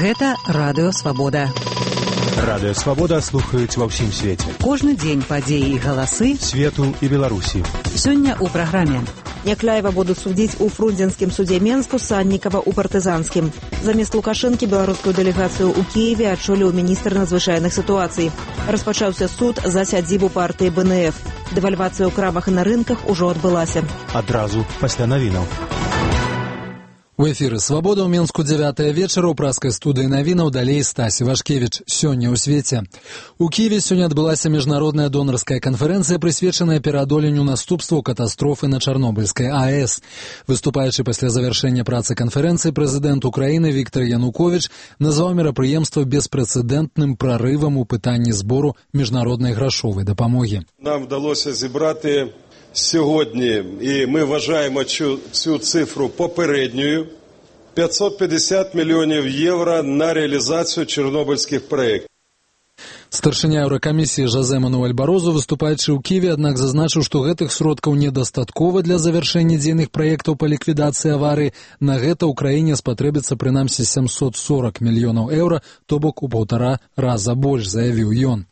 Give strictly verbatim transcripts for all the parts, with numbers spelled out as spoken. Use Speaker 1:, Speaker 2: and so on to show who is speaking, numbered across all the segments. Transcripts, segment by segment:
Speaker 1: Гэта Радыё Свабода.
Speaker 2: Радыё Свабода слухаюць ва ўсім свеце.
Speaker 1: Кожны дзень падзеі і галасы
Speaker 2: свету і Беларусі.
Speaker 1: Сёння ў праграме.
Speaker 3: Някляева будуць судзіць у Фрунзенскім судзе Менску, Саннікава ў Партызанскім. Замест Лукашэнкі беларускую дэлегацыю ў Кіеве адчоліў міністр надзвычайных сітуацый. Распачаўся суд за сядзібу партыі бэ эн эф. Дэвальвацыя ў крамах і на рынках ужо адбылася.
Speaker 2: Адразу пасля навінаў.
Speaker 4: У эфіры «Свабода» ў Менску дзявятая вечара ў праскай студыі навінаў, далей Стасі Вашкевіч. Сёння ў свеце. У Киеве сёння адбылася міжнародная донарская канферэнцыя, прысвечаная пераадоленню наступстваў катастрофы на Чарнобыльскай АЭС. Выступаючы пасля завяршэння працы канферэнцыі, прэзідэнт Украіны Віктор Януковіч назваў мерапрыемства беспрэцэдэнтным прарывам у пытанні збору міжнароднай грашовай дапамогі.
Speaker 5: Нам вдалося зібрати сьогодні, і ми вважаємо цю, цю цифру попередньою, п'ятсот п'ятдесят мільйонів євро на реалізацію чорнобильських проєктів.
Speaker 4: Старшыня Еўракамісіі Жозе Мануэль Барозу, выступаючы ў Киеве, аднак зазначыў, што гэтых сродкаў недастаткова для завяршэння дзейных праектаў па ліквідацыі аварыі. На гэта ў краіне спатрэбіцца прынамсі сямсот сорок мільёнаў еўра, то бок у паўтара раза больш, заявіў ён.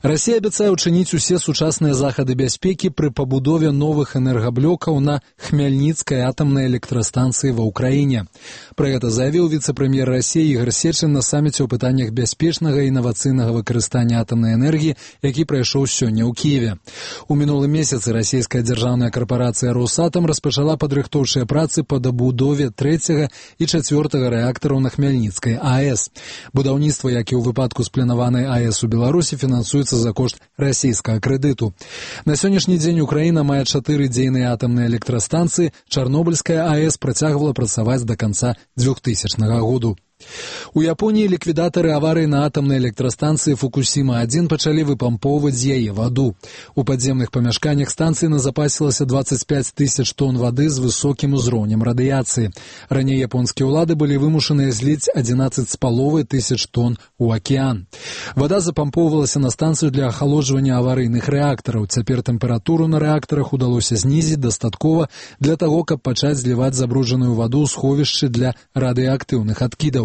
Speaker 4: Расія абяцае ўчыніць усе сучасныя захады бяспекі пры пабудове новых энергаблокаў на Хмяльніцкай атамнай электрастанцыі ва ўкраіне. Пра гэта заявіў віцэ-прэм'ер Расіі Ігор Сечын на саміце ў пытаннях бяспечнага і інавацыйнага выкарыстання атамнай энергіі, які прайшоў сёння ў Кіеве. У мінулым месяцы расійская дзяржаўная карпарацыя «Росатам» распачала падрыхтоўчыя працы па дабудове трэцяга і чацвёртага рэактараў на Хмяльніцкай АЭС. Будаўніцтва, як і ў выпадку з планаванай АЭС у Беларусі, фінансуецца за кошт расійскага крэдыту. На сённяшні дзень Украіна мае чатыры дзейныя атамныя электрастанцыі, Чарнобыльская АЭС працягвала працаваць да канца двухтысячнага году. У Японіі ліквідатары аварыі на атамнай электрастанцыі Фукусіма адзін пачалі выпампоўваць з яе ваду. У падземных памяшканнях станцыі назапасілася дваццаць пяць тысяч тонн вады з высокім узроўнем радыяцыі. Раней японскія ўлады былі вымушаныя зліць адзінаццаць з паловай тысяч тонн у акіян. Вада запампоўвалася на станцыю для ахалоджвання аварыйных рэактараў. Цяпер тэмпературу на рэактарах удалося знізіць дастаткова для таго, каб пачаць зліваць забруджаную ваду ў сховішчы для радыеактыўных адкідаў.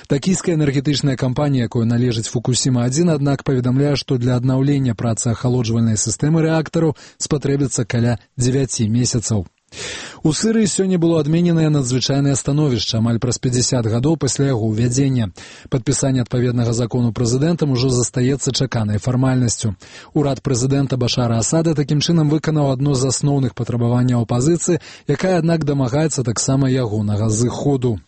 Speaker 4: Такійская энергетычная кампанія, якой належыць Фукусіма адзін, аднак паведамляе, што для аднаўлення працы ахалоджвальнай сістэмы рэактараў спатрэбіцца каля дзевяці месяцаў. У Сырыі сёння было адмененае надзвычайнае становішча амаль праз пяцьдзясят гадоў пасля яго ўвядзення. Падпісанне адпаведнага закону прэзідэнтам ужо застаецца чаканай фармальнасцю. Урад прэзідэнта Башара Асада такім чынам выканаў адно з асноўных патрабаванняў апазіцыі, якая, аднак, дамагаецца таксама ягонага зыходу.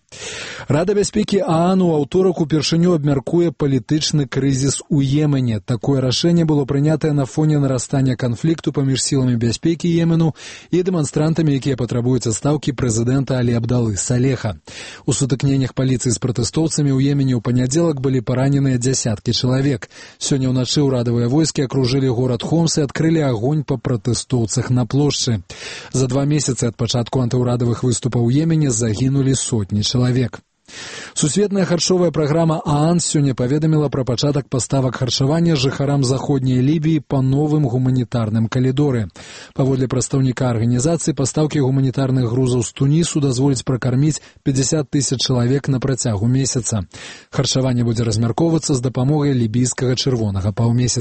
Speaker 4: Рада бяспекі ААН у аўторак упершыню абмяркуе палітычны крызіс у Йемене. Такое рашэнне было прынятае на фоне нарастання канфлікту паміж сіламі бяспекі Йемену і дэманстрантамі, якія патрабуюць адстаўкі прэзідэнта Алі Абдалы Салеха. У сутыкненнях паліцыі з пратэстоўцамі ў Йемене ў панядзелак былі параненыя дзясяткі чалавек. Сёння ўначы ўрадавыя войскі акружылі горад Хомс і адкрылі агонь па пратэстоўцах на плошчы. За два месяцы ад пачатку антыўрадавых выступаў у Йемене загінулі сотні чалавек. Сусветная харчовая праграма ААН сёння паведаміла пра пачатак паставак харчавання жыхарам заходняй Лібіі па новым гуманітарным калідоры. Паводле прадстаўніка арганізацыі, пастаўкі гуманітарных грузаў з Тунісу дазволяць пракарміць пяцьдзясят тысяч чалавек на працягу месяца. Харчаванне будзе размяркоўвацца з дапамогай лібійскага чырвонага паўмесяца.